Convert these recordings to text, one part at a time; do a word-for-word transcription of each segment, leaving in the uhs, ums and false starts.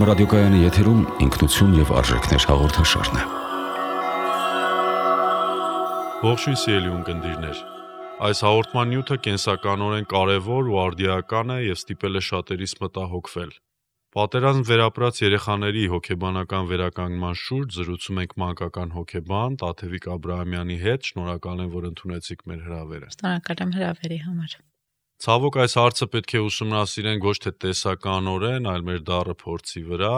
ռադիոկայանի եթերում ինքնություն եւ արժեքներ հաղորդաշարն է։ Ողջույն սիրելի ունկնդիրներ։ Այս հաղորդման նյութը կենսականորեն կարևոր ու արդիական է եւ ստիպել է շատերիս մտահոգվել։ Պատերազմ վերապրած երեխաների հոգեբանական վերականգնման շուրջ զրուցում ենք մանկական հոգեբան Տաթևիկ Աբրահամյանի հետ։ Շնորհակալ եմ, որ ընդունեցիք մեր հրավերը։ Շնորհակալ եմ հրավերի համար։ Ցավոք այս հարցը պետք է ուսումնասիրենք ոչ թե տեսականորեն, այլ մեր դառը փորձի վրա,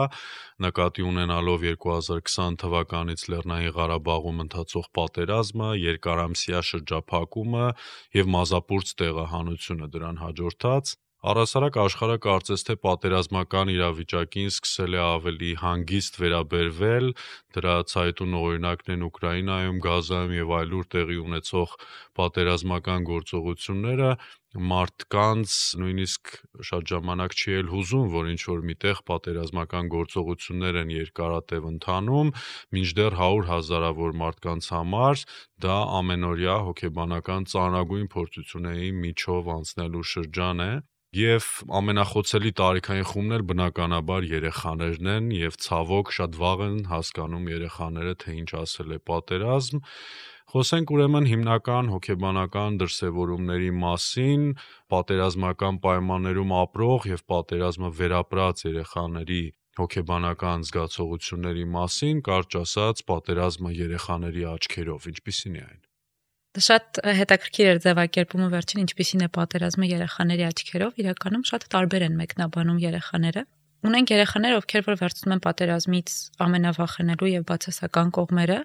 նկատի ունենալով երկու հազար քսան թվականից Լեռնային Ղարաբաղում ընթացող պատերազմը, երկարամսյա շրջափակումը եւ մազապուրծ տեղահանությունը դրան հաջորդած, առհասարակ աշխարհը կարծես թե պատերազմական իրավիճակին սկսել է ավելի հանգիստ վերաբերվել, դրա ցայտուն օրինակն են Ուկրաինայում, Գազայում եւ այլուր տեղի ունեցող պատերազմական գործողությունները, մարդկանց նույնիսկ շատ ժամանակ չի էլ հուզում, որ ինչ-որ միտեղ պատերազմական գործողություններ են երկարատև ընթանում, մինչդեռ հարյուր հազարավոր մարդկանց համար դա ամենօրյա հոգեբանական ծանրագույն փորձությունների միջով անցնելու շրջան է, եւ ամենախոցելի տարիքային խումբն էլ բնականաբար երեխաներն են, եւ ցավոք շատ վաղ են հասկանում երեխաները, թե ինչ ասել է պատերազմ։ Խոսենք ուրեմն հիմնական հոգեբանական դրսևորումների մասին, պատերազմական պայմաններում ապրող եւ պատերազմը վերապրած երեխաների հոգեբանական զգացողությունների մասին, կարճ ասած, պատերազմը երեխաների աչքերով, ինչպիսին է այն։ Շատ հետաքրքիր էր ձևակերպումը վերջին, ինչպիսին է պատերազմը երեխաների աչքերով, իրականում շատ տարբեր են մեկնաբանում երեխաները։ Ունենք երեխաներ, ովքեր որ վերցնում են պատերազմից ամենավախենալու եւ բացասական կողմերը,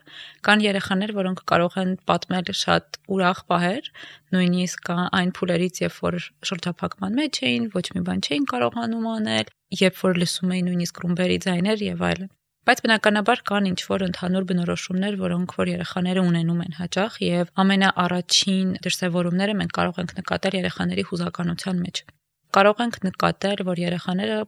կան երեխաներ, որոնք կարող են պատմել շատ ուրախ պահեր, նույնիսկ այն փուլերից, երբ որ շրջափակման մեջ էին, ոչ մի բան չէին կարողանում անել, երբ որ լսում էին նույնիսկ ռումբերի ձայներ եւ այլն։ Բայց բնականաբար կան ինչ-որ ընդհանուր բնորոշումներ, որոնք որ երեխաները ունենում են հաճախ եւ ամենաառաջին դրսևորումները մենք կարող ենք նկատել երեխաների հուզականության մեջ։ Կարող ենք նկատել, որ երեխաները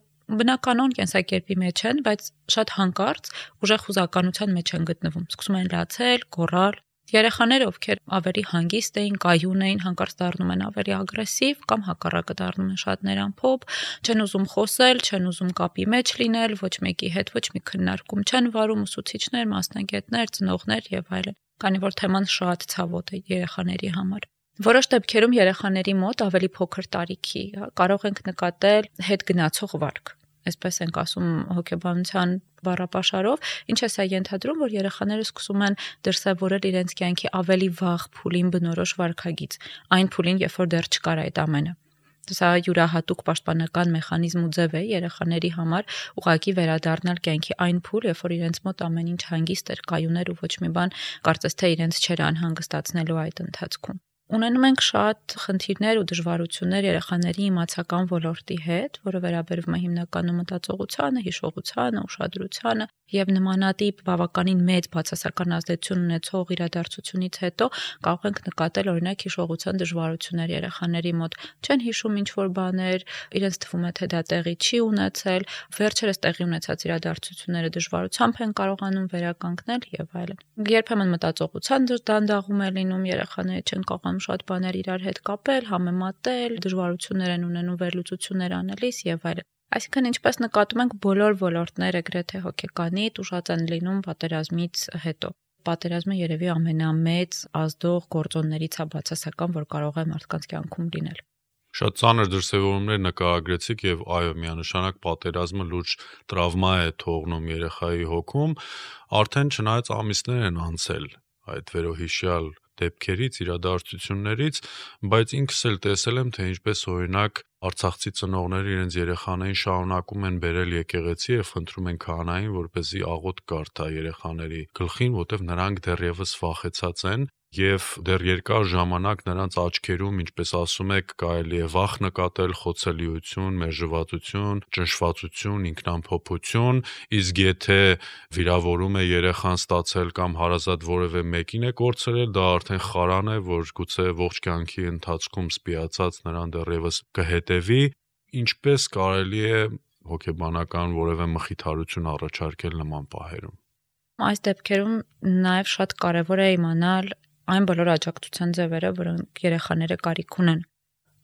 բնականon կենսակերպի մեջ են, բայց շատ հանկարծ ուժեղ հուզականության մեջ են գտնվում։ Սկսում են լացել, գոռալ։ Երեխաները, ովքեր ավելի հանգիստ էին, կայուն էին, հանկարծ դառնում են ավելի ագրեսիվ կամ հակառակը դառնում են շատ ներամփոփ, չեն ուզում խոսել, չեն ուզում կապի մեջ լինել, ոչ մեկի հետ ոչ մի քննարկում չեն վարում, ուսուցիչներ, մասնագետներ, ծնողներ եւ այլն։ Քանի որ թեման շատ ցավոտ է երեխաների համար։ Որոշ դեպքերում երեխաների մոտ ավելի փոքր տարիքի կարող ենք նկատել հետ գնացող վարք։ Այսպես ենք ասում հոգեբանության բառապաշարով, ինչ է սա ենթադրում, որ երեխաները սկսում են դրսևորել իրենց կյանքի ավելի վաղ փուլին բնորոշ վարքագիծ, այն փուլին, երբ որ դեռ չկար այդ ամենը։ Սա յուրահատուկ պաշտպանական մեխանիզմ ու ձև է երեխաների համար ուղղակի վերադառնալ կյանքի այն փուլ, երբ որ իրենց մոտ ամեն ինչ հանգիստ էր, կայուն էր ու ոչ մի բան կարծես թե իրենց չէր անհանգստացնելու այդ ընթացքում։ Ունենում ենք շատ խնդիրներ ու դժվարություններ երեխաների իմացական ոլորտի հետ, որը վերաբերվում է հիմնականում մտածողությանը, հիշողությանը, ուշադրությանը եւ նմանատիպ բավականին մեծ բացասական ազդեցություն ունեցող իրադարձությունից հետո կարող ենք նկատել օրինակ հիշողության դժվարություններ երեխաների մոտ, չեն հիշում ինչ-որ բաներ, իրենց թվում է թե դա տեղի չի ունեցել, վերջերս տեղի ունեցած իրադարձությունները դժվարությամբ են կարողանում վերականգնել եւ այլն։ Երբեմն մտածողության դանդաղում է լինում, երեխաները չեն կարող շատ բաներ իրար հետ կապել, համեմատել, դժվարություններ են ունենում վերլուծություններ անելիս եւ այլն։ Այսինքն ինչպես նկատում ենք բոլոր ոլորտները գրեթե հոգեկանի տուժած են լինում պատերազմից հետո։ Պատերազմը երևի ամենամեծ ազդող գործոններից է բացասական, որ կարող է մարդկանց կյանքում լինել։ Շատ ծանր դրսևորումներ նկարագրեցիք եւ այո, միանշանակ պատերազմը լուրջ տրավմա է թողնում երեխայի հոգում, արդեն չնայած ամիսներ են անցել այդ վերոհիշյալ դեպքերից, իրադարձություններից, բայց ինքս էլ տեսել եմ, թե ինչպես օրինակ արցախցի ծնողները իրենց երեխաներին շարունակում են բերել եկեղեցի եւ խնդրում են քահանային, որպեսզի աղոթք կարդա երեխաների գլխին, որտեղ նրանք դեռևս վախեցած են եւ դեռ երկար ժամանակ նրանց աչքերում, ինչպես ասում եք, կարելի է վախ նկատել, խոցելիություն, մերժվածություն, ճնշվածություն, ինքնամփոփություն, իսկ եթե վիրավորում է երեխան ստացել կամ հարազատ որևէ մեկին է կորցրել, դա արդեն խարան է, որ գուցե ողջ կյանքի ընթացքում սպիացած նրան դեռևս կհետևի, ինչպես կարելի է հոգեբանական որևէ մխիթարություն առաջարկել նման պահերում։ Այս դեպքերում նաեւ շատ կարեւոր է իմանալ այն բոլոր աջակցության ձևերը, որոնք երեխաները կարիք ունեն։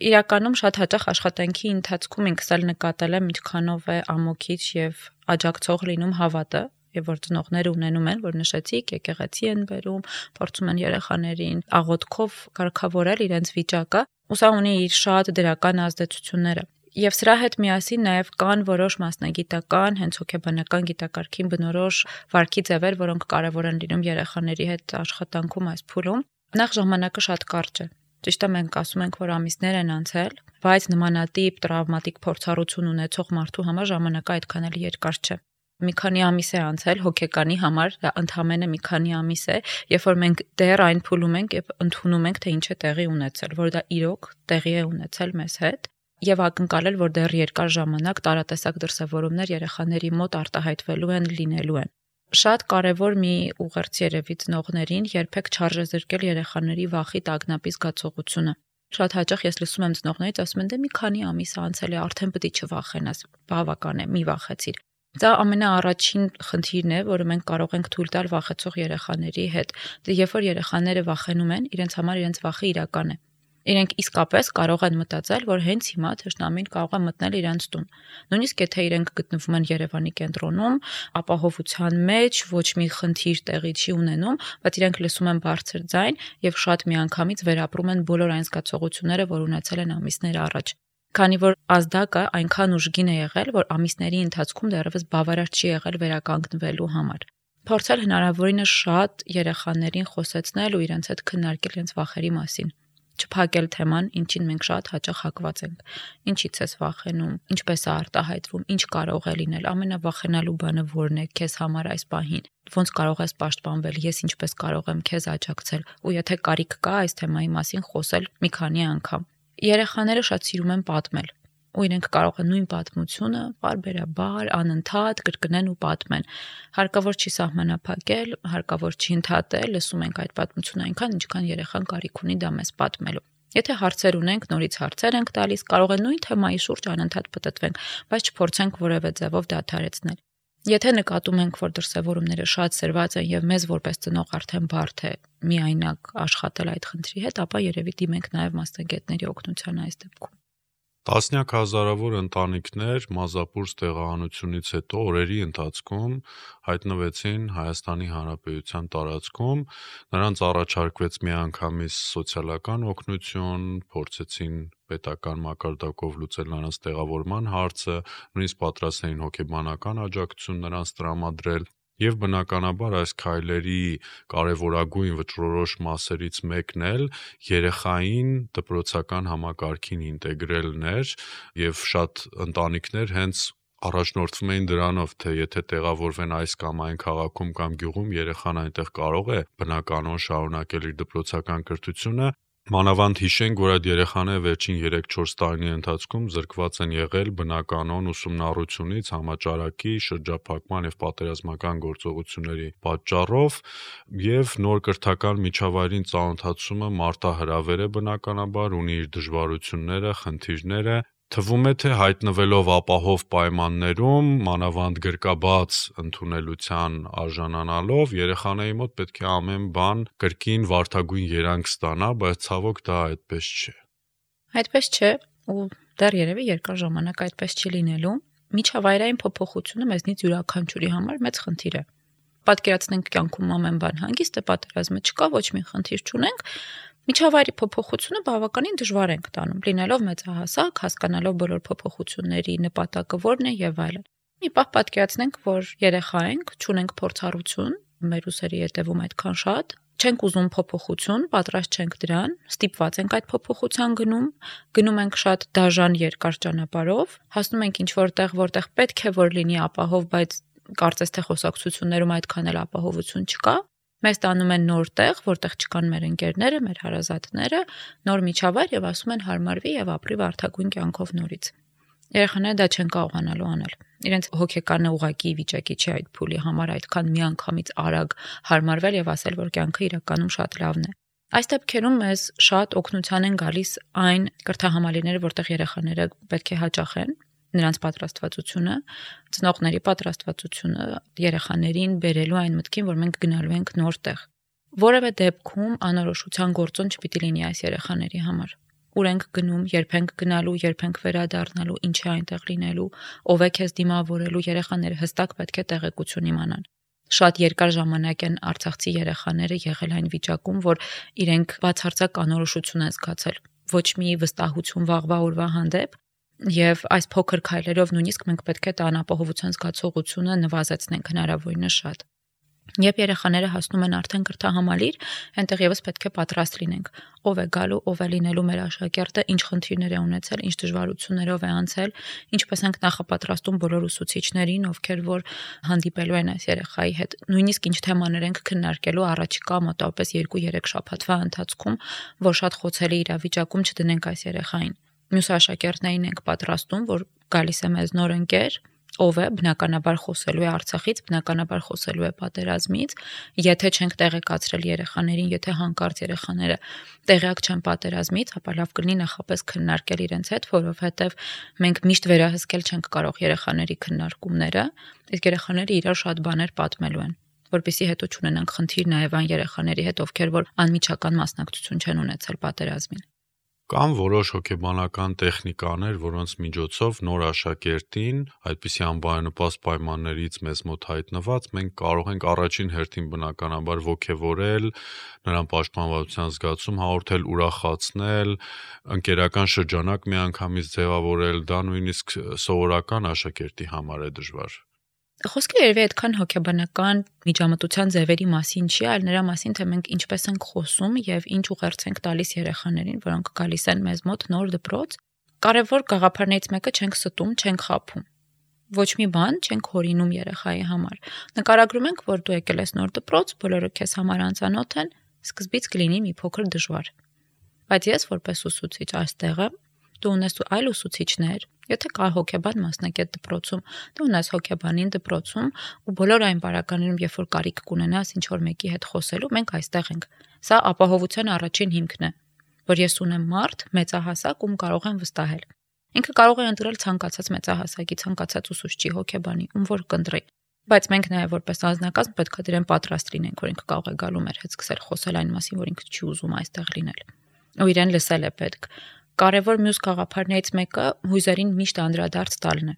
Իրականում շատ հաճախ աշխատանքի ընթացքում ինքս էլ նկատել եմ ինչքանով է ամոքիչ եւ աջակցող լինում հավատը, եւ որ ծնողները ունենում են, որ նշեցիք, եկեղեցի են բերում, փորձում են երեխաներին աղոթքով կարգավորել իրենց վիճակը, ու սա ունի իր շատ դրական ազդեցությունները։ Եվ սրա հետ միասին նաև կան որոշ մասնագիտական, հենց հոգեբանական գիտակարգին բնորոշ վարքի ձևեր, որոնք կարևոր են լինում երեխաների հետ աշխատանքում այս փուլում։ Նախ ժամանակը շատ կարճ է։ Ճիշտ է, մենք ասում ենք, որ ամիսներ են անցել, բայց նմանատիպ տրավմատիկ փորձառություն ունեցող մարդու համար ժամանակը այդքան էլ երկար չէ։ Մի քանի ամիս է անցել հոգեկանի համար, դա ընդամենը մի քանի ամիս է, երբ որ մենք դեռ այն փուլում ենք եւ ընդունում ենք, թե ինչ է տեղի ունեցել, որ դա իրոք տեղի է ունեցել մեզ հետ, եւ ակնկալել, որ դեռ երկար ժամանակ տարատեսակ դրսևորումներ երեխաների մոտ արտահայտվելու են, լինելու են։ Շատ կարևոր մի ուղերձ երևի ծնողներին երբեք չարժե զրկել երեխաների վախի տագնապի զգացողությունը։ Շատ հաճախ ես լսում եմ ծնողներից, ասում են, դե մի քանի ամիս անցել է, արդեն պետք է չվախենաս, բավական է, մի վախեցիր։ Դա ամենաառաջին խնդիրն է, որը մենք կարող ենք թույլ տալ վախեցող երեխաների հետ։ Դե երբ որ երեխաները վախենում են, իրենց համար իրենց վախը իրական է։ Իրենք իսկապես կարող են մտածել, որ հենց հիմա թշնամին կարող է մտնել իրենց տուն։ Նույնիսկ եթե իրենք գտնվում են Երևանի կենտրոնում, ապահովության մեջ, ոչ մի խնդիր տեղի չի ունենում, բայց իրենք լսում են բարձր ձայն եւ շատ միանգամից վերապրում են բոլոր այն զգացողությունները, որ ունեցել են ամիսներ առաջ։ Քանի որ ազդակը այնքան ուժգին է եղել, որ ամիսների ընթացքում դեռևս բավարար չի եղել վերականգնվելու համար։ Փորձել հնարավորինս շատ երեխաներին խոսեցնել ու իրենց հետ քննարկել իրենց վախերի մասին։ Չփակել թեման, ինչին մենք շատ հաճախ հակված ենք։ Ինչից ես վախենում, ինչպես է արտահայտվում, ինչ կարող է լինել, ամենավախենալու բանը որն է քեզ համար այս պահին։ Ոնց կարող ես պաշտպանվել, ես ինչպես կարող եմ քեզ աջակցել, ու եթե կարիք կա այս թեմայի մասին խոսել մի քանի անգամ։ Երեխաները շատ սիրում են պատմել, ու իրենք կարող են նույն պատմությունը բարբերաբար, անընդհատ կրկնեն ու պատմեն։ Հարկավոր չի սահմանափակել, հարկավոր չի ընդհատել, լսում ենք այդ պատմությունը այնքան, ինչքան երեխան կարիք ունի դա մեզ պատմելու։ Եթե հարցեր ունենք, նորից հարցեր ենք տալիս, կարող է նույն թեմայի շուրջ անընդհատ պտտվենք, բայց չփորձենք որևէ ձևով դադարեցնել։ Եթե նկատում ենք, որ դրսևորումները շատ սրված են եւ մեզ որպես ծնող արդեն բարդ է միայնակ աշխատել այդ խնդրի հետ, ապա երևի դիմենք նաեւ մասնագետների օգնության այս դեպքում։ Տասնյակ հազարավոր ընտանիքներ մազապուրս տեղահանությունից հետո օրերի ընթացքում հայտնվեցին Հայաստանի Հանրապետության տարածքում, նրանց առաջարկվեց միանգամից սոցիալական օգնություն, փորձեցին պետական մակարդակով լուծել նրանց տեղավորման հարցը, նույնիսկ պատրաստ էին հոգեբանական աջակցություն նրանց տրամադրել։ Եվ բնականաբար այս քայլերի կարևորագույն վճռորոշ մասերից մեկն էլ երեխային դպրոցական համակարգին ինտեգրելն էր, եւ շատ ընտանիքներ հենց առաջնորդվում էին դրանով, թե եթե տեղավորվեն այս կամ այն քաղաքում կամ գյուղում, երեխան այնտեղ կարող է բնականon շարունակել իր դպրոցական կրթությունը։ Մանավանդ հիշենք, որ այդ երեխաները վերջին երեք-չորս տարիների ընթացքում զրկված են եղել բնականon ուսումնառությունից, համաճարակի, շրջափակման եւ պատերազմական գործողությունների պատճառով, եւ նոր կրթական միջավայրին ծանոթացումը մարտահրավեր է բնականաբար, ունի իր դժվարությունները, խնդիրները։ Թվում է, թե հայտնվելով ապահով պայմաններում, մանավանդ գրկաբաց ընդունելության արժանանալով, երեխաների մոտ պետք է ամեն բան կրկին վարդագույն երանգ ստանա, բայց ցավոք դա այդպես չէ։ Այդպես չէ, ու դեռ երևի երկար ժամանակ այդպես չի լինելու։ Միջավայրային փոփոխությունը մեզնից յուրաքանչյուրի համար մեծ խնդիր է։ Պատկերացնենք կյանքում ամեն բան հանգիստ է, պատերազմը չկա, ոչ մի խնդիր չունենք։ Միջավայրի փոփոխությունը բավականին դժվար ենք տանում, լինելով մեծահասակ, հասկանալով բոլոր փոփոխությունների նպատակը որն է եւ այլն։ Մի պահ պատկերացնենք, որ երեխա ենք, չունենք փորձառություն, մեր ուսերի հետևում այդքան շատ, չենք ուզում փոփոխություն, պատրաստ չենք դրան, ստիպված ենք այդ փոփոխության գնում, գնում ենք շատ դաժան երկար ճանապարհով, հասնում ենք ինչ-որ տեղ, որտեղ պետք է որ լինի ապահով, բայց կարծես թե խոսակցություններում այդքան էլ ապահովություն չկա։ Մեզ տանում են նոր տեղ, որտեղ չկան մեր ընկերները, մեր հարազատները, նոր միջավայր եւ ասում են հարմարվի եւ ապրի վարդագույն կյանքով նորից։ Երեխաները դա չեն կարողանալու անել։ Իրենց հոգեկանը ուղակի վիճակի չի այդ փուլի համար այդքան միանգամից արագ հարմարվել եւ ասել, որ կյանքը իրականում շատ լավն է։ Այս դեպքերում մեզ շատ օգնության են գալիս այն կրթահամալիրները, որտեղ երեխաները պետք է հաճախեն, նրանց պատրաստվածությունը, ծնողների պատրաստվածությունը երեխաներին բերելու այն մտքին, որ մենք գնալու ենք նոր տեղ։ Որևէ դեպքում անորոշության գործոն չպիտի լինի այս երեխաների համար։ ուր ենք գնում, երբ ենք գնալու, երբ ենք վերադառնալու, ինչ է այնտեղ լինելու, ով է քեզ դիմավորելու, երեխաները հստակ պետք է տեղեկություն իմանան։ Շատ երկար ժամանակ են արցախցի երեխաները եղել այն վիճակում, որ իրենք բացարձակ անորոշություն են զգացել, ոչ մի վստահություն վաղվա օրվա հանդեպ, եւ այս փոքր քայլերով նույնիսկ մենք պետք է անապահովության զգացողությունը նվազեցնենք հնարավորինս շատ։ Երբ երեխաները հասնում են արդեն կրթահամալիր, այնտեղ եւս պետք է պատրաստ լինենք։ Ով է գալու, ով է լինելու մեր աշակերտը, ինչ խնդիրներ է ունեցել, ինչ դժվարություններով է անցել, ինչպես ենք նախապատրաստում բոլոր ուսուցիչներին, ովքեր որ հանդիպելու են այս երեխայի հետ։ Նույնիսկ ինչ թեմաներ ենք քննարկելու առաջիկա մոտավորապես երկու-երեք շաբաթվա ընթացքում, որ շատ խոցելի իրավիճակում չդնենք այս երեխային։ Մյուս աշակերտներին ենք պատրաստում, որ գալիս է մեզ նոր ընկեր, ով է բնականաբար խոսելու է Արցախից, բնականաբար խոսելու է պատերազմից, եթե չենք տեղեկացրել երեխաներին, եթե հանկարծ երեխաները տեղյակ չեն պատերազմից, ապա լավ կլինի նախապես քննարկել իրենց հետ, որովհետև մենք միշտ վերահսկել չենք կարող երեխաների քննարկումները, իսկ երեխաները իրար շատ բաներ պատմելու են, որպեսզի հետո չունենանք խնդիր նաև այն երեխաների հետ, ովքեր որ անմիջական մասնակցություն չեն ունեցել պատերազմին։ Կան որոշ հոգեբանական տեխնիկաներ, որոնց միջոցով նոր աշակերտին, այդպիսի անբարենպաստ պայմաններից մեզ մոտ հայտնված, մենք կարող ենք առաջին հերթին բնականաբար ոգևորել, նրան պաշտպանվածության զգացում հաղորդել, ուրախացնել, ընկերական շրջանակ միանգամից ձևավորել, դա նույնիսկ սովորական աշակերտի համար է դժվար։ Խոսքը երևի այդքան հոգեբանական միջամտության ձևերի մասին չի, այլ նրա մասին, թե մենք ինչպես ենք խոսում եւ ինչ ուղերձ ենք տալիս երեխաներին, որոնք գալիս են մեզ մոտ նոր դպրոց։ Կարևոր գաղափարներից մեկը չենք ստում, չենք խաբում։ Ոչ մի բան չենք հորինում երեխայի համար։ Նկարագրում ենք, որ դու եկել ես նոր դպրոց, բոլորը քեզ համար անծանոթ են, սկզբից կլինի մի փոքր դժվար։ Բայց ես որպես ուսուցիչ այստեղ եմ, դու ունես այլ ուսուցիչներ, եթե կա հոգեբան մասնակետ դպրոցում, դու ունես հոգեբանին դպրոցում ու բոլոր այն բարականներում, երբ որ կարիք կունենաս ինչ որ մեկի հետ խոսելու, մենք այստեղ ենք։ Սա ապահովության առաջին հիմքն է, որ ես ունեմ մարդ մեծահասակ, ում կարող եմ վստահել։ Ինքը կարող է ընտրել ցանկացած մեծահասակի, ցանկացած ուսուցչի, հոգեբանի, ում որ կընտրի։ Բայց մենք նաև որպես անձնակազմ պետք է դրան պատրաստ լինենք, որ ինքը կարող է գալու մեր հետ սկսել խոսել այն մասին, որ ինքը չի ուզում այստեղ լինել։ Ու իրեն լսել է պետք։ Կարևոր մյուս գաղափարներից մեկը հույզերին միշտ անդրադարձ տալն է։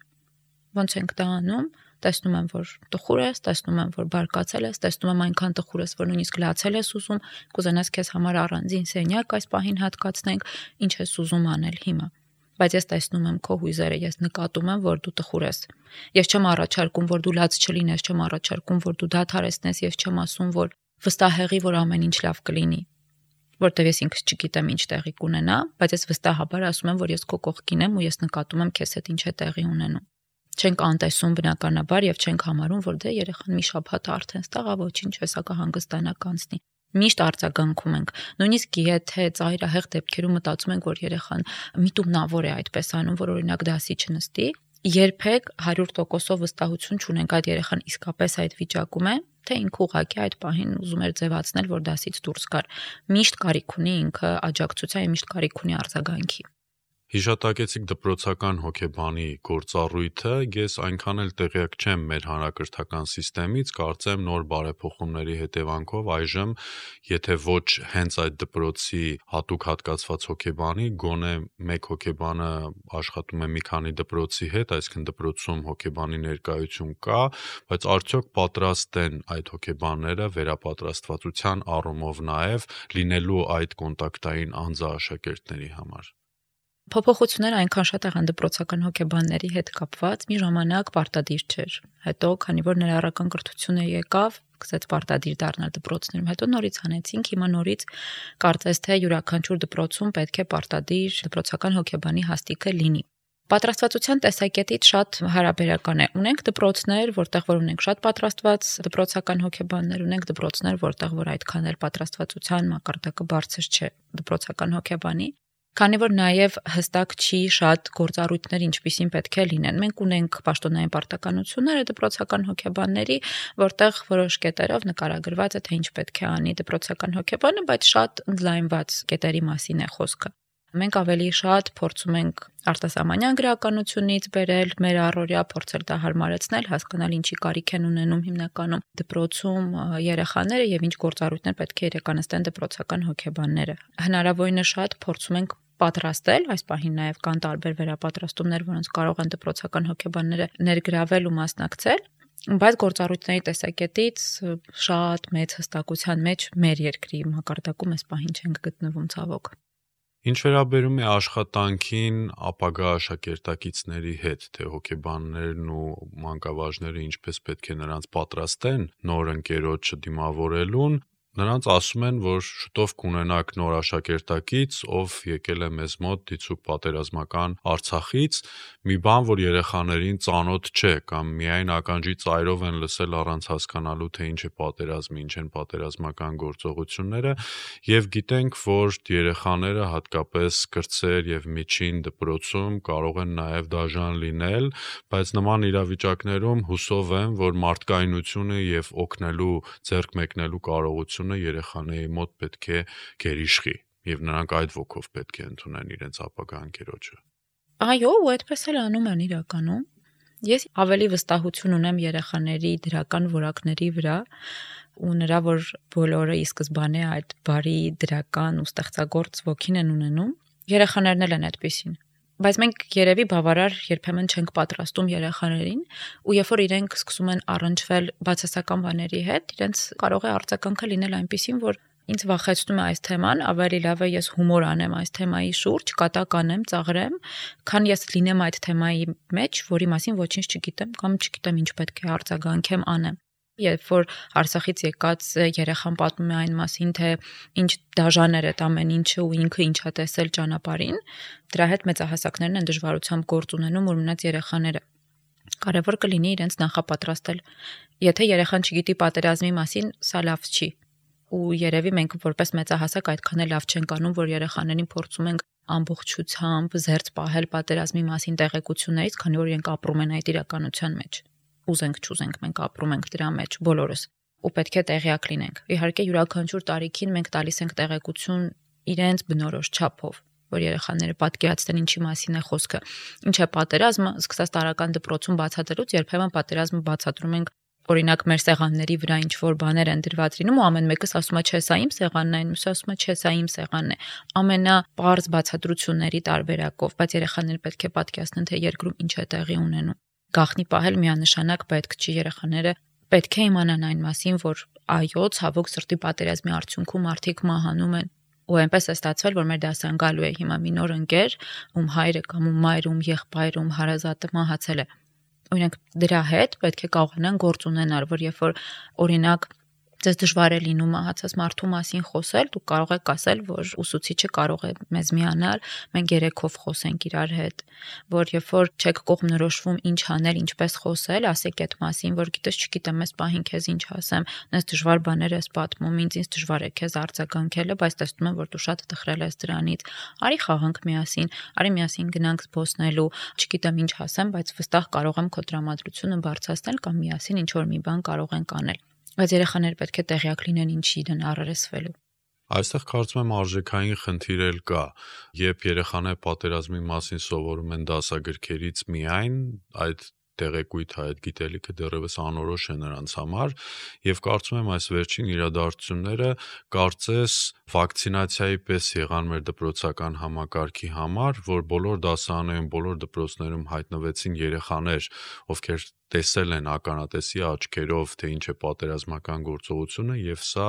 Ոնց ենք դա անում, տեսնում եմ, որ տխուր ես, տեսնում եմ, որ բարկացել ես, տեսնում եմ այնքան տխուր ես, որ նույնիսկ լացել ես ուզում, կուզենաս քեզ համար առանձին սենյակ այս պահին հատկացնենք, ինչ ես ուզում անել հիմա։ Բայց ես տեսնում եմ քո հույզերը, ես նկատում եմ, որ դու տխուր ես։ Ես չեմ առաջարկում, որ դու լաց չլինես, չեմ առաջարկում, որ դու դադարեցնես, ես չեմ ասում, որ վստահեղի, որ ամեն ինչ լավ կլինի։ Որտեվ ես ինքս չգիտեմ ինչ տեղի կունենա, բայց ես վստահաբար ասում եմ, որ ես քո կողքին եմ ու ես նկատում եմ քեզ հետ ինչ է տեղի ունենում։ Չենք անտեսում բնականաբար եւ չենք համարում, որ դե երեխան մի շաբաթ արդեն ստաղա, ոչինչ, հեսա կհանգստանա կանցնի։ Միշտ արձագանքում ենք։ Նույնիսկ եթե ծայրահեղ դեպքերում մտածում ենք, որ երեխան միտումնավոր է այդպես անում, որ օրինակ դասի չնստի, երբեք հարյուր տոկոսով վստահություն չունենք այդ երեխան իսկապես այդ վիճակում է, թե ինքը ուղղակի այդ պահին ուզում էր ձևացնել, որ դասից դուրս գար։ Միշտ կարիք ունի ինքը աջակցության, միշտ կարիք ունի արձագանքի։ Հիշատակեցիք դպրոցական հոգեբանի գործառույթը, ես այնքան էլ տեղյակ չեմ մեր հանրակրթական համակարգից, կարծեմ նոր բարեփոխումների հետևանքով այժմ, եթե ոչ հենց այդ դպրոցի հատուկ հատկացված հոգեբանի, գոնե մեկ հոգեբանը աշխատում է մի քանի դպրոցի հետ, այսինքն դպրոցում հոգեբանի ներկայություն կա, բայց արդյոք պատրաստ են այդ հոգեբանները վերապատրաստվածության առումով նաև լինելու այդ կոնտակտային անձը աշակերտների համար։ Փոփոխությունները այնքան շատ եղան դպրոցական հոգեբանների հետ կապված, մի ժամանակ պարտադիր չէր։ Հետո, քանի որ ներառական կրթությունը եկավ, սկսեց պարտադիր դառնալ դպրոցներում, հետո նորից հանեցինք, հիմա նորից կարծես թե յուրաքանչյուր դպրոցում պետք է պարտադիր դպրոցական հոգեբանի հաստիքը լինի։ Պատրաստվածության տեսակետից շատ հարաբերական է։ Ունենք դպրոցներ, որտեղ որ ունենք շատ պատրաստված դպրոցական հոգեբաններ, ունենք դպրոցներ, որտեղ որ այդքան էլ պատրաստվածության մակարդակը բարձր չէ դպրոցական հոգեբանի։ Քանի որ նաև հստակ չի շատ գործառույթներ ինչպիսին պետք է լինեն։ Մենք ունենք պաշտոնային պարտականությունները դպրոցական հոգեբանների, որտեղ որոշ կետերով նկարագրված է, թե ինչ պետք է անի դպրոցական հոգեբանը, բայց շատ ընդլայնված կետերի մասին է խոսքը։ Մենք ավելի շատ փորձում ենք արտասահմանյան գրականությունից բերել մեր առօրյա, փորձել դա հարմարեցնել, հասկանալ ինչի կարիք են ունենում հիմնականում դպրոցում երեխաները եւ ինչ գործառույթներ պետք է իրականացնեն դպրոցական հոգեբանները։ Հնարավորինս շատ փորձում ենք պատրաստել, այս պահին նաև կան տարբեր վերապատրաստումներ, որոնց կարող են դպրոցական հոգեբանները ներգրավել ու մասնակցել, բայց գործառույթների տեսակետից շատ մեծ հստակության մեջ մեր երկրի մակարդակում այս պահին չենք գտնվում ցավոք։ Ինչ վերաբերում է աշխատանքին ապագա աշակերտակիցների հետ, թե հոգեբաններն ու մանկավարժները ինչպես պետք է նրանց պատրաստեն նոր ընկերոջը դիմավորելուն, նրանց ասում են, որ շուտով կունենաք նոր աշակերտակից, ով եկել է մեզ մոտ դիցուք պատերազմական Արցախից, մի բան, որ երեխաներին ծանոթ չէ, կամ միայն ականջի ծայրով են լսել առանց հասկանալու, թե ինչ է պատերազմը, ինչ են պատերազմական գործողությունները, եւ գիտենք, որ երեխաները հատկապես կրտսեր եւ միջին դպրոցում կարող են նաեւ դաժան լինել, բայց նման իրավիճակներում հուսով եմ, որ մարդկայնությունը եւ օգնելու, ձեռք մեկնելու կարողությունը երեխաների մոտ պետք է գերիշխի եւ նրանք այդ ոգով պետք է ընդունեն իրենց ապագա ընկերոջը։ Այո, ու այդպես էլ անում են իրականում։ Ես ավելի վստահություն ունեմ երեխաների դրական որակների վրա ու նրա, որ բոլորը ի սկզբանե այդ բարի դրական ու ստեղծագործ ոգին են ունենում, երեխաներն էլ են այդպիսին։ Բայց մենք երևի բավարար երբեմն չենք պատրաստում երեխաներին, ու երբ որ իրենք սկսում են առնչվել բացասական բաների հետ, իրենց կարող է արձագանքը լինել այնպիսին, որ ինձ վախեցնում է այս թեման, ավելի լավ է ես հումոր անեմ այս թեմայի շուրջ, կատակ անեմ, ծաղրեմ, քան ես լինեմ այդ թեմայի մեջ, որի մասին ոչինչ չգիտեմ կամ չգիտեմ ինչ պետք է արձագանքեմ անեմ։ Երբ որ Արցախից եկած երեխան պատմում է այն մասին, թե ինչ դաժան էր այդ ամեն ինչը ու ինքը ինչա տեսել ճանապարհին, դրա հետ մեծահասակներն են դժվարությամբ գործ ունենում ու մնաց երեխաները։ Կարևոր կլինի իրենց նախապատրաստել։ Եթե երեխան չգիտի պատերազմի մասին, սա լավ չի։ Ու երևի մենք որպես մեծահասակ այդքան էլ լավ չենք անում, որ երեխաներին փորձում ենք ամբողջությամբ զերծ պահել պատերազմի մասին տեղեկություններից, քանի որ իրենք ապրում են այդ իրականության մեջ։ Ուզենք չուզենք մենք ապրում ենք դրա մեջ բոլորս ու պետք է տեղյակ լինենք։ Իհարկե յուրաքանչյուր տարիքին մենք տալիս ենք տեղեկություն իրենց բնորոշ չափով, որ երեխաները պատկերացնեն ինչի մասին է խոսքը։ Ինչ է պատերազմը, սկսած տարական դպրոցում բացատրելուց երբեմն պատերազմը բացատրում ենք օրինակ մեր սեղանների վրա ինչ որ բաներ են դրված լինում ու ամեն մեկս ասում է չէ սա իմ սեղանն է, մյուսը ասում է չէ սա իմ սեղանն է։ Ամենապարզ բացատրությունների տարբերակով, բայց երեխաները պետք է պատկերացնեն, թե երկրում ինչ է տեղի ունենում։ Գաղտնի պահել միանշանակ պետք չի, երեխաները պետք է իմանան այն մասին, որ այո, ցավոք սրտի պատերազմի արդյունքում մարդիկ մահանում են, ու այնպես է ստացվել, որ մեր դասան գալու է հիմա մի նոր ընկեր, ում հայրը կամ ում մայրը, ում եղբայրը, ում հարազատը մահացել է։ Ու իրենք դրա հետ պետք է կարողանան գործ ունենալ, որ երբ որ օրինակ Ձեզ դժվար է լինում մահացած մարդու մասին խոսել, դուք կարող եք ասել, որ ուսուցիչը կարող է մեզ միանալ, մենք երեքով խոսենք իրար հետ, որ երբ որ չեք կողմնորոշվում ինչ անել, ինչպես խոսել, ասեք այդ մասին, որ գիտես, չգիտեմ, ես պահին քեզ ինչ ասեմ, ես դժվար բաներ ես պատմում, ինձ ինձ դժվար է քեզ արձագանքելը, բայց տեսնում եմ, որ դու շատ տխրել ես դրանից։ Արի խաղանք միասին, արի միասին գնանք զբոսնելու, չգիտեմ ինչ ասեմ, բայց վստահ կարող եմ քո տրամադրությունը բարձրացնել կամ միասին ինչ որ մի բան կարող ենք անել։ Բայց երեխաները պետք է տեղյակ լինեն ինչի են առերեսվելու։ Այստեղ կարծում եմ արժեքային խնդիր էլ կա, երբ երեխաները պատերազմի մասին սովորում են դասագրքերից միայն, այդ տեղեկույթը, այդ գիտելիքը դեռևս անորոշ է նրանց համար, եւ կարծում եմ այս վերջին իրադարձությունները կարծես վակցինացիայի պես եղան մեր դպրոցական համակարգի համար, որ բոլոր դասարաններում, բոլոր դպրոցներում հայտնվեցին երեխաներ, ովքեր տեսել են ականատեսի աչքերով, թե ինչ է պատերազմական գործողությունը, եւ սա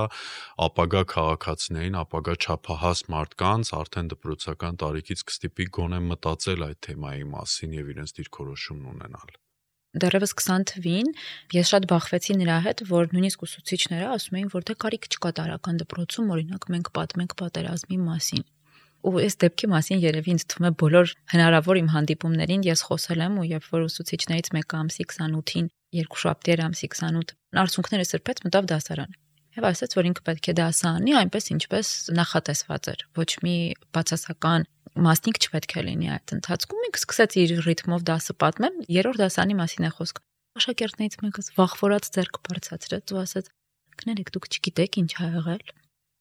ապագա քաղաքացիներին, ապագա չափահաս մարդկանց արդեն դպրոցական տարիքից կստիպի գոնե մտածել այդ թեմայի մասին եւ իրենց դիրքորոշումն ունենալ։ Դեռևս քսան թվին ես շատ բախվեցի նրա հետ, որ նույնիսկ ուսուցիչները ասում էին, որ դե կարիք չկա տարական դպրոցում, օրինակ մենք պատմենք պատերազմի մասին։ Ու այս դեպքի մասին երևի ինձ թվում է բոլոր հնարավոր իմ հանդիպումներին ես խոսել եմ, ու երբ որ ուսուցիչներից մեկը ամսի քսանութին, երկուշաբթի էր ամսի քսանութ, արցունքները սրբեց, մտավ դասարան։ Եվ ասաց, որ ինքը պետք է դասը անի այնպես, ինչպես նախատեսված էր։ Ոչ մի բացասական մասնիկ չպետք է լինի այդ ընթացքում։ Ինքը սկսեց իր ռիթմով դասը պատմել, երրորդ դասանի մասին է խոսքը։ Աշակերտներից մեկը վախվորած ձեռք բարձրացրեց ու ասաց. «Կներեք, դուք չգիտեք ինչ ա եղել»։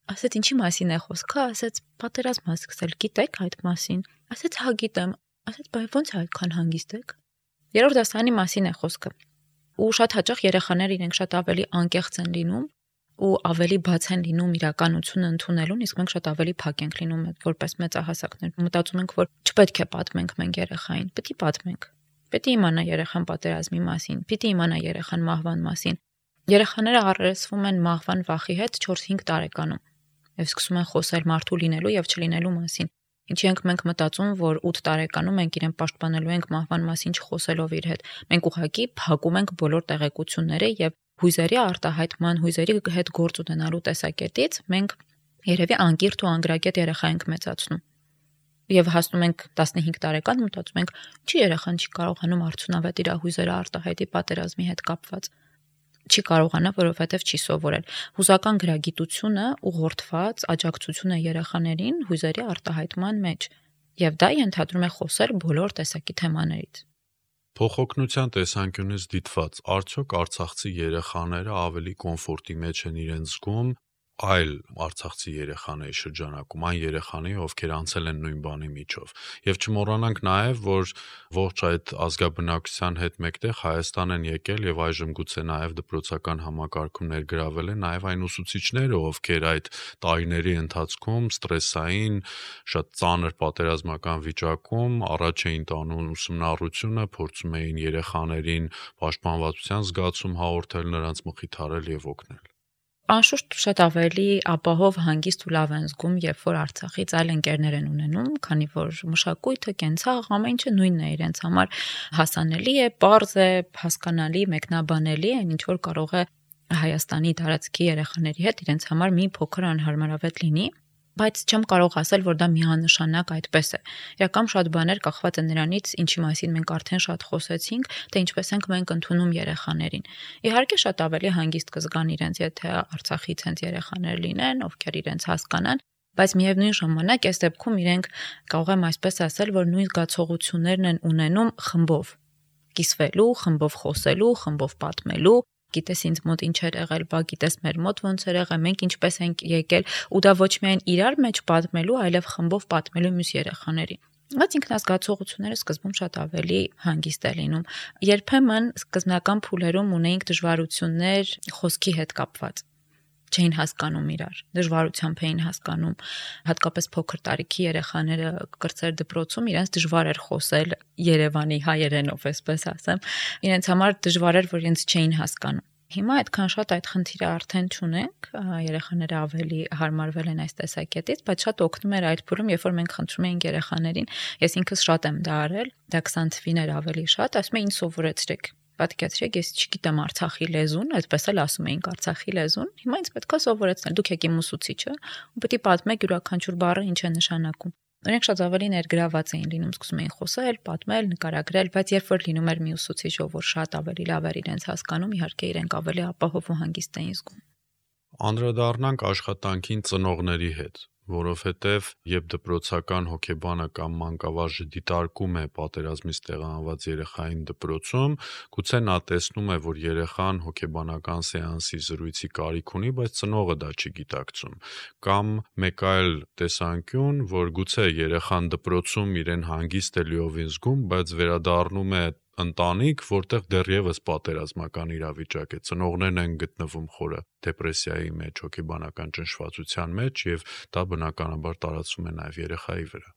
Ասաց, ինչի մասին է խոսքը, ասաց, պատերազմ ա սկսել, գիտեք այդ մասին։ Ասաց, հա գիտեմ։ Ասաց, բայց ո՞նց է այդքան հանգիստ եք։ Երրորդ դասանի մասին է խոսքը։ Ու շատ հաճախ երեխաները իրենք շատ ավելի անկեղծ են լինում, ու ավելի բաց են լինում իրականությունը ընդունելուն, իսկ մենք շատ ավելի փակ ենք լինում որպես մեծահասակներ։ Մտածում ենք, որ չպետք է պատմենք մենք երեխային, պետք է պատմենք։ Պետք է իմանա երեխան պատերազմի մասին, պետք է իմանա երեխան մահվան մասին։ Երեխաները առերեսվում են մահվան վախի հետ չորս-հինգ տարեկանում եւ սկսում են խոսել մարդու լինելու եւ չլինելու մասին։ Ինչի ենք մենք մտածում, որ ութ տարեկանում մենք իրեն պաշտպանելու ենք մահվան մասին չխոսելով իր հետ։ Մենք ուղղակի փակում ենք բոլոր տեղեկությունները եւ հույզերի արտահայտման, հույզերի հետ գործ ունենալու տեսակետից մենք երևի անկիրթ ու անգրագետ երեխա ենք մեծացնում։ Եվ հասնում ենք տասնհինգ տարեկան, մտածում ենք, չի երեխան չի կարողանում արդյունավետ իր հույզերը արտահայտի պատերազմի հետ կապված։ Չի կարողանա, որովհետև չի սովորել։ Հուզական գրագիտությունը ուղղորդված աջակցություն է երեխաներին հույզերի արտահայտման մեջ, եւ դա ենթադրում է խոսել բոլոր տեսակի թեմաներից։ Փոխօգնության տեսանկյունից դիտված, արդյոք արցախցի երեխաները ավելի կոմֆորտի մեջ են իրենց զգում այլ արցախցի երեխաների շրջանակում, այն երեխաների, ովքեր անցել են նույն բանի միջով։ Եվ չմոռանանք նաև, որ ողջ այդ ազգաբնակության հետ մեկտեղ Հայաստան են եկել եւ այժմ գուցե նաև դպրոցական համակարգում ներգրավել են նաև այն ուսուցիչները, ովքեր այդ տարիների ընթացքում ստրեսային, շատ ծանր պատերազմական վիճակում առաջ էին տանում ուսումնառությունը, փորձում էին երեխաներին պաշտպանվածության զգացում հաղորդել, նրանց մխիթարել եւ օգնել։ Անշուշտ շատ ավելի ապահով, հանգիստ ու լավ են զգում, երբ որ Արցախից այլ ընկերներ են ունենում, քանի որ մշակույթը, կենցաղ, ամեն ինչը նույնն է իրենց համար հասանելի է, պարզ է, հասկանալի, մեկնաբանելի է, ինչ որ կարող է Հայաստանի տարածքի երեխաների հետ իրենց համար մի փոքր անհարմարավետ լինի, բայց չեմ կարող ասել, որ դա միանշանակ այդպես է։ Իրական շատ բաներ կախված են նրանից, ինչի մասին մենք արդեն շատ խոսեցինք, թե ինչպես ենք մենք ընդունում երեխաներին։ Իհարկե շատ ավելի հանգիստ կզգան իրենց, եթե Արցախից հենց երեխաներ լինեն, ովքեր իրենց հասկանան, բայց միևնույն ժամանակ այս դեպքում իրենք կարող եմ այսպես ասել, որ նույն զգացողություններն են ունենում խմբով, կիսվելու, խմբով խոսելու, խմբով պատմելու։ Գիտես ինձ մոտ ինչ էր եղել, բա գիտես մեր մոտ ոնց էր եղել, մենք ինչպես ենք եկել, ու դա ոչ միայն իրար մեջ պատմելու, այլև խմբով պատմելու մյուս երեխաներին։ Բայց ինքնազգացողությունները սկզբում շատ ավելի հանգիստ է լինում։ Երբեմն սկզբնական փուլերում ունեինք դժվարություններ խոսքի հետ կապված։ Չէին հասկանում իրար, դժվարությամբ էին հասկանում, հատկապես փոքր տարիքի երեխաները կրծեր դպրոցում իրենց դժվար էր խոսել Երևանի հայերենով, այսպես ասեմ, իրենց համար դժվար էր, որ իրենց չէին հասկանում։ Հիմա այդքան շատ այդ խնդիրը արդեն չունենք, երեխաները ավելի հարմարվել են այս տեսակետից, բայց շատ օգնում էր այդ փուլում, երբ որ մենք խնդրում էինք երեխաներին, ես ինքս շատ եմ դա արել, դա քսան թվին էր ավելի շատ, ասում էին սովորեցրեք։ Պատկերացրեք, ես չգիտեմ Արցախի լեզուն, այսպես էլ ասում էինք Արցախի լեզուն, հիմա ինձ պետք է սովորեցնել, դուք եք իմ ուսուցիչը, ու պետք է պատմեք յուրաքանչյուր բառը ինչ է նշանակում։ Նրանք շատ ավելի ներգրաված էին լինում, սկսում էին խոսել, պատմել, նկարագրել, բայց երբ որ լինում էր մի ուսուցիչ, ով շատ ավելի լավ էր իրենց հասկանում, իհարկե իրենք ավելի ապահով ու հանգիստ էին զգում։ Անդրադառնանք աշխատանքին ծնողների հետ, որովհետև երբ դպրոցական հոգեբանը կամ մանկավարժը դիտարկում է պատերազմից տեղահանված երեխային դպրոցում, գուցե նա տեսնում է, որ երեխան հոգեբանական սեանսի զրույցի կարիք ունի, բայց ծնողը դա չի գիտակցում, կամ մեկ այլ տեսանկյուն, որ գուցե երեխան դպրոցում իրեն հանգիստ է լիովին զգում, բայց վերադառնում է ընտանիք, որտեղ դեռևս պատերազմական իրավիճակ է, ծնողներն են գտնվում խորը դեպրեսիայի մեջ, հոգեբանական ճնշվածության մեջ եւ դա բնականաբար տարածվում է նաեւ երեխայի վրա։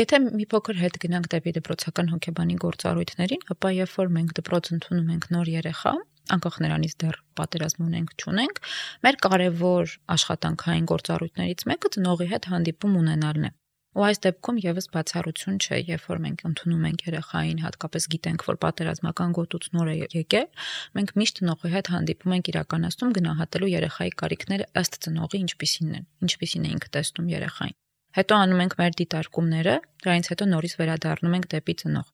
Եթե մի փոքր հետ գնանք դեպի դպրոցական հոգեբանի գործառույթներին, ապա երբ որ մենք դպրոց ընդունում ենք նոր երեխա, անկախ նրանից դեռ պատերազմ ունենք, չունենք, մեր կարևոր աշխատանքային գործառույթներից մեկը ծնողի հետ հանդիպում ունենալն է։ Ու այս դեպքում եւս բացառություն չէ, երբ որ մենք ընդունում ենք երեխային, հատկապես գիտենք, որ պատերազմական գոտուց նոր է եկել, մենք միշտ ծնողի հետ հանդիպում ենք իրականացնում գնահատելու երեխայի կարիքները ըստ ծնողի ինչպիսին են, ինչպիսին է ինքը տեսնում երեխային։ Հետո անում ենք մեր դիտարկումները, դրանից հետո նորից վերադառնում ենք դեպի ծնող։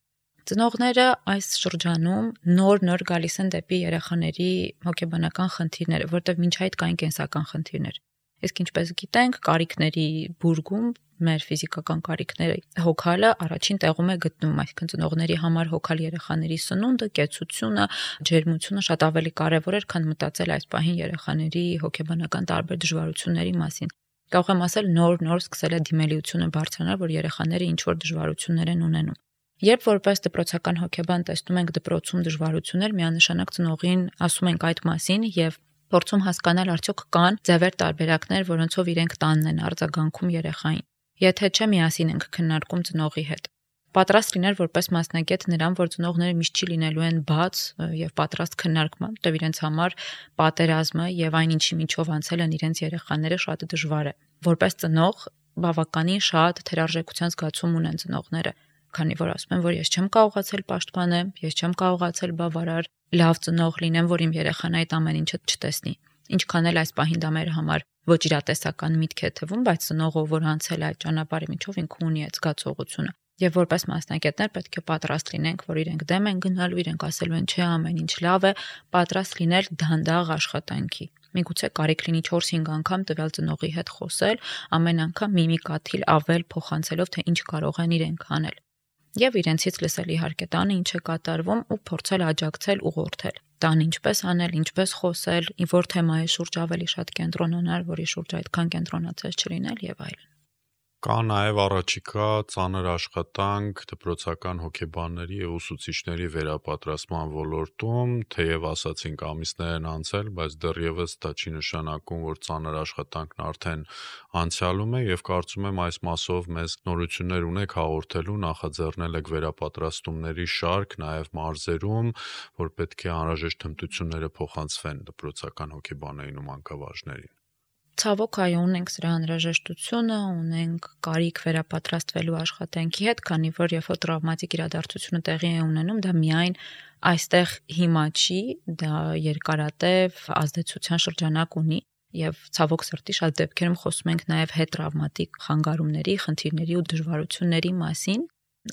Ծնողները այս շրջանում նոր-նոր գալիս են դեպի երեխաների հոգեբանական խնդիրները, որտեղ մինչ այդ կային կենսական խնդիրներ։ Իսկ ինչպես գիտենք, կարիքների բուրգում մեր ֆիզիկական կարիքները հոգալը առաջին տեղում է գտնվում, այսինքն ծնողների համար հոգալ երեխաների սնունդը, կեցությունը, ջերմությունը շատ ավելի կարևոր էր, քան մտածել այս պահին երեխաների հոգեբանական տարբեր դժվարությունների մասին։ Կարող եմ ասել նոր-նոր սկսել է դիմելիությունը բարձրանալ, որ երեխաները ինչ որ դժվարություններ են ունենում։ Երբ որպես դպրոցական հոգեբան տեսնում ենք դպրոցում դժվարություններ, միանշանակ ծնողին ասում ենք այդ մասին եւ փորձում հասկանալ արդյոք կան ձևեր տարբերակներ, որոնցով իրենք տանն են արձագանքում երեխային։ Եթե չէ, միասին ենք քննարկում ծնողի հետ։ Պատրաստ լինել որպես մասնագետ նրան, որ ծնողները միշտ չի լինելու են բաց եւ պատրաստ քննարկման, որտեղ իրենց համար պատերազմը եւ այն ինչի միջով անցել են իրենց երեխաները շատ դժվար է։ Որպես ծնող բավականին շատ թերարժեքության զգացում ունեն ծնողները, քանի որ ասում են, որ ես չեմ կարողացել պաշտպանեմ, ես չեմ կարողացել բավարար լավ ծնող լինեմ, որ իմ երեխան այդ ամեն ինչը չտեսնի։ Ինչքան էլ այս պահին դա մեր համար ոչ իրատեսական միտք է թվում, բայց ծնողը, որ անցել այդ ճանապարհի միջով, ինքը ունի այդ զգացողությունը։ Եվ որպես մասնագետներ պետք է պատրաստ լինենք, որ իրենք դեմ են գնալու, իրենք ասելու են, չէ, ամեն ինչ լավ է, պատրաստ լինել դանդաղ աշխատանքի։ Միգուցե կարիք լինի չորս-հինգ անգամ տվյալ ծնողի հետ խոսել, ամեն անգամ մի մի կաթիլ ավել փոխանցելով, թե ինչ կարող են իրենք անել։ Եվ իրենցից լսել իհարկե տանը ինչ է կատարվում ու փորձել աջակցել, ուղղորդել։ Տան ինչպես անել, ինչպես խոսել, որ թեմայի շուրջ ավելի շատ կենտրոնանալ, որի շուրջ այդքան կենտրոնացած չլինել եւ այլն։ Կա նաև առաջիկա ծանր աշխատանք դպրոցական հոգեբանների եւ ուսուցիչների վերապատրաստման ոլորտում, թեև ասացինք ամիսներ են անցել, բայց դեռևս դա չի նշանակում, որ ծանր աշխատանքն արդեն անցյալում է եւ կարծում եմ այս մասով մեզ նորություններ ունեք հաղորդելու, նախաձեռնել եք վերապատրաստումների շարք նաև մարզերում, որ պետք է անհրաժեշտ հմտությունները փոխանցվեն դպրոցական հոգեբաններին ու մանկավարժներին։ Ցավոք, այո, ունենք սրա անհրաժեշտությունը, ունենք կարիք վերապատրաստվելու աշխատանքի հետ, քանի որ երբ որ տրավմատիկ իրադարձությունը տեղի է ունենում, դա միայն այստեղ հիմա չի, դա երկարատև ազդեցության շրջանակ ունի եւ ցավոք սրտի շատ դեպքերում խոսում ենք նաեւ հետտրավմատիկ խանգարումների, խնդիրների ու դժվարությունների մասին։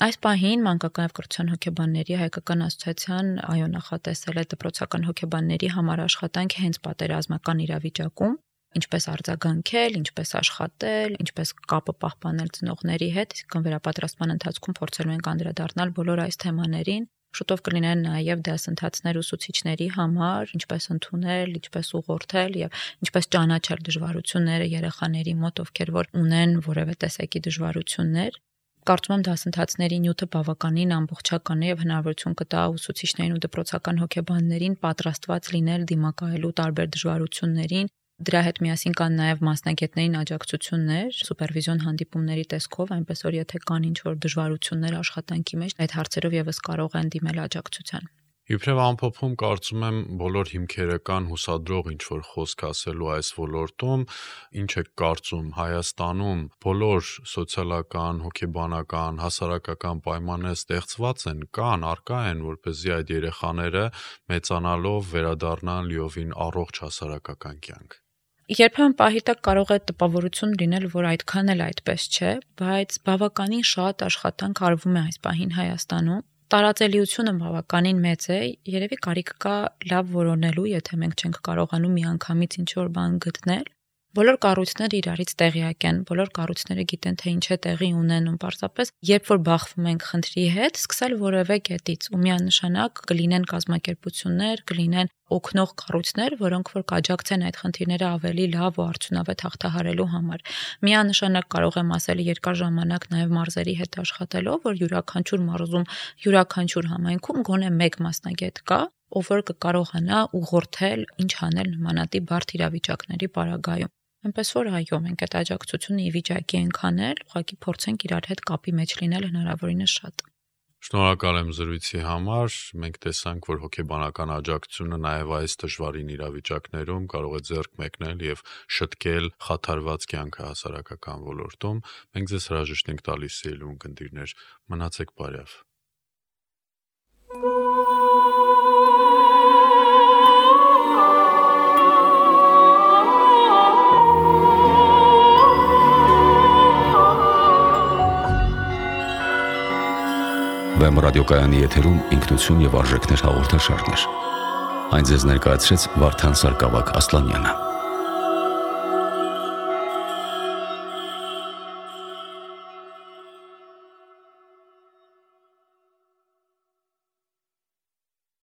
Այս պահին մանկական եւ կրթության հոգեբանների հայկական ասոցիացիան այո նախատեսել է դպրոցական հոգեբանների համար աշխատանք հենց պատերազմական իրավիճակում, ինչպես արձագանքել, ինչպես աշխատել, ինչպես կապը պահպանել ծնողների հետ, իսկ վերապատրաստման ընթացքում փորձելու ենք անդրադառնալ բոլոր այս թեմաներին։ Շուտով կլինեն նաև դասընթացներ ուսուցիչների համար, ինչպես ընդունել, ինչպես ուղղորդել եւ ինչպես ճանաչել դժվարությունները երեխաների մոտ, ովքեր որ ունեն որևէ տեսակի դժվարություններ։ Կարծում եմ դասընթացների նյութը բավականին ամբողջական է եւ հնարավորություն կտա ուսուցիչներին ու դպրոցական հոգեբաններին պատրաստված լինել դիմակայելու տարբեր դժվարություններին։ Դրա հետ միասին կան նաև մասնագետներին աջակցություններ, սուպերվիզիոն հանդիպումների տեսքով, այնպես որ եթե կան ինչ-որ դժվարություններ աշխատանքի մեջ, այդ հարցերով եւս կարող են դիմել աջակցության։ Իբրև ամփոփում կարծում եմ բոլոր հիմքերը կան հուսադրող ինչ-որ խոսք ասելու այս ոլորտում, ինչ է կարծում Հայաստանում բոլոր սոցիալական, հոգեբանական, հասարակական պայմանները ստեղծված են, կան, առկա են, որպեսզի այդ երեխաները մեծանալով վերադառնան լիովին առողջ հասարակական կյանք։ Երբեմն պահի տակ կարող է տպավորություն լինել, որ այդքան էլ այդպես չէ, բայց բավականին շատ աշխատանք արվում է այս պահին Հայաստանում։ Տարածելիությունը բավականին մեծ է, երևի կարիք կա լավ որոնելու, եթե մենք չենք կարողանում միանգամից ինչ-որ բան գտնել։ Բոլոր կառույցները իրարից տեղյակ են, բոլոր կառույցները գիտեն, թե ինչ է տեղի ունենում, պարզապես երբ որ բախվում ենք խնդրի հետ, սկսել որևէ կետից ու միանշանակ կլինեն կազմակերպություններ, կլինեն օգնող կառույցներ, որոնք որ կաջակցեն այդ խնդիրները ավելի լավ ու արդյունավետ հաղթահարելու համար։ Միանշանակ կարող եմ ասել երկար ժամանակ նաև մարզերի հետ աշխատելով, որ յուրաքանչյուր մարզում, յուրաքանչյուր համայնքում գոնե մեկ մասնագետ կա, ով որ կկարողանա ուղղորդել ինչ անել նմանատիպ բարդ իրավիճակների պարագայում։ Այնպես որ այո, մենք այդ աջակցությունը ի վիճակի ենք անել, ուղղակի փորձենք իրար հետ կապի մեջ լինել հնարավորինս շատ։ Շնորհակալ եմ զրույցի համար։ Մենք տեսանք, որ հոգեբանական աջակցությունը նաև այս դժվարին իրավիճակներում կարող է ձեռք մեկնել եւ շտկել խաթարված կյանքը հասարակական ոլորտում։ Մենք ձեզ հրաժեշտ ենք տալիս սիրելի ունկնդիրներ։ Մնացեք բարյավ։ Վեմ ռադիոկայանի եթերում ինքնություն եւ արժեքներ հաղորդաշարներ։ Այն ձեզ ներկայացրեց Վարդան Սարգսակ Ասլանյանը։